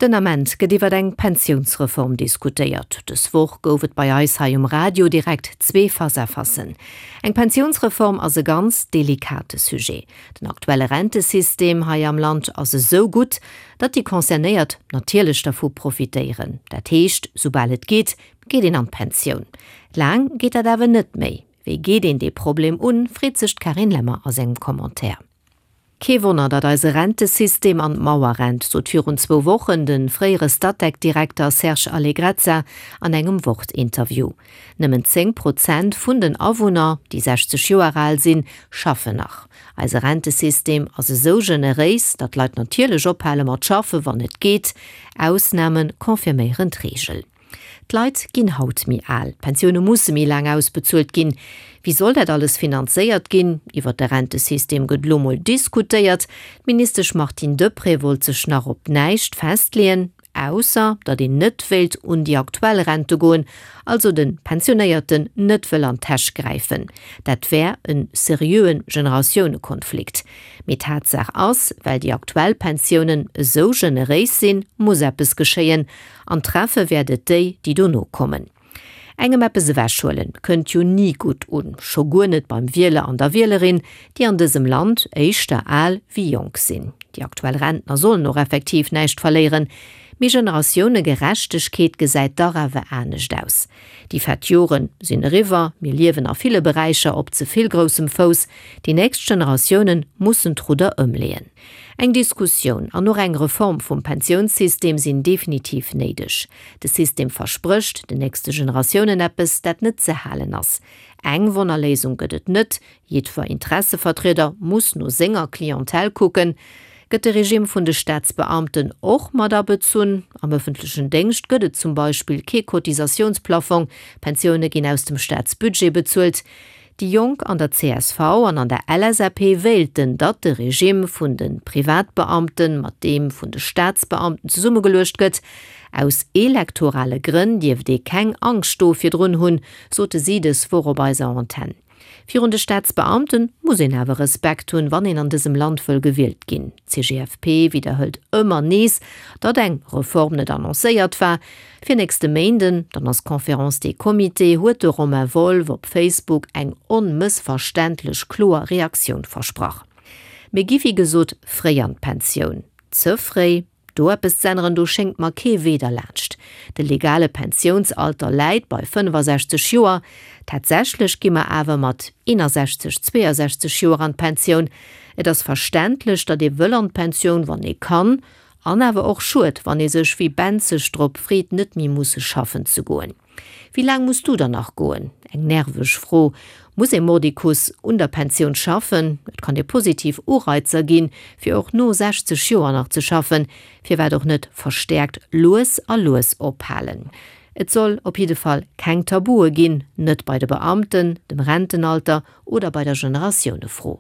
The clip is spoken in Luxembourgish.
Den Ament gëtt iwwer eng Pensiounsreform diskutéiert. Dës Woch gouf et bei eis hei um Radio direkt zwee Face-à-facen. Eng Pensiounsreform ass e ganz delikate Sujet. Den aktuelle Rentesystem hei am Land ass esou gutt, datt déi Concernéiert natierlech dervu profitéieren. Dat heescht, soubal et geet, geet een an d'Pensioun. Laang geet dat awer net méi. Wéi geet een dee Problem un, freet sech d'Carine Lemmer a sengem Commentaire. Kee Wonner, datt eise Rentesystem an d'Mauer rennt, sot virun zwou Wochen de fréiere Statec-Direkter Serge Allegrezza an engem Wort-Interview. Nëmmen 10 Prozent vun den Awunner, déi 60 Joer al sinn, schaffen nach. Eise Rentesystem ass esou generéis, datt d'Leit natierlech ophale mat schaffe wann et geet. Ausname confirméieren d'Reegel. D'Leit ginn haut méi al, d'Pensioune musse méi laang ausbezuelt ginn. Wéi soll dat alles finanzéiert ginn? Iwwer de Rentesystem gëtt elo mol diskutéiert. D'Ministesch Martine Deprez wollt sech nach op näischt festleeën, ausser datt een net wéilt un déi aktuell Rente goen, also de Pensionéierten net wëll an d'Täsch gräifen. Dat wär e seriöe Generatiounekonflikt. Mee Tatsaach ass, well déi aktuell Pensiounen esou generéis sinn, muss eppes geschéien. An treffe wäert et déi, déi dono kommen. Engem eppes ewechhuelen, kënnt jo ni gutt un, scho guer net beim Wieler an der Wielerin, déi an dësem Land éischter al wéi jonk sinn. Déi aktuell Rentner sollen och effektiv näischt verléieren, mee Generatiounegerechtegkeet gesäit dach awer anescht aus. Déi fett Jore sinn eriwwer, mir liewen a ville Beräicher op ze vill groussem Fouss, déi nächst Generatioune mussen d'Rudder ëmleeën. Eng Diskussioun an och eng Reform vum Pensiounssystem sinn definitiv néideg. De System versprécht den nächste Generatiounen eppes, dat net ze halen ass. Eng Wonnerléisung gëtt et net, jiddwer Interessevertrieder muss no senger Clientèle kucken. Gëtt de Regime vun de Staatsbeamten och mat abezunn? Am ëffentlechen Déngscht gëtt et zum Beispill kee Cotisatiounsplafong, Pensioune ginn aus dem Staatsbudget bezuelt. Déi Jonk an der csv an an der LSAP wéilten, datt de Regime vun de Privatbeamten mat deem vun de Staatsbeamten zesummegeluecht gëtt. Aus elektorale Grënn dierft ee keng Angscht do virdrun hunn, sote si dës Woch op eiser Antenn. Virun de Staatsbeamte muss een awer Respekt hunn, wann een an dësem Land wëll gewielt ginn. D'CGFP widderhëlt ëmmer nees, datt eng Reform net annoncéiert war. Fir nächste Méinden, dann ass d'Conférence des Comités, huet de Romain Wolff op Facebook eng onmëssverständlech kloer Reaktioun versprach. Mir gi wéi gesot fréi an d'Pensioun. Ze fréi? Do eppes z'änneren, do schéngt mer kee Wee derlaanscht. De legale Pensiounsalter läit bei 65 Joer. Tatsächlech gi mer awer mat 61, 62 Joer an d'Pensioun. Et ass verständlech, datt ee wëll an d'Pensioun, wann ee kann. An awer och schued, wann ee sech wéi benzeg drop freet, net méi musse schaffen ze goen. Wéi laang muss du dann nach goen? Eng nerveg Fro. Muss ee mordicus un der Pensioun schaffen? Et kann ee positiv Ureizer ginn, fir och no 60 Joer nach ze schaffen. Firwat och net verstäerkt lues a lues ophalen? Et soll op jidde Fall keng Tabue ginn, net bei de Beamten, dem Rentenalter oder bei der Generatiounefro.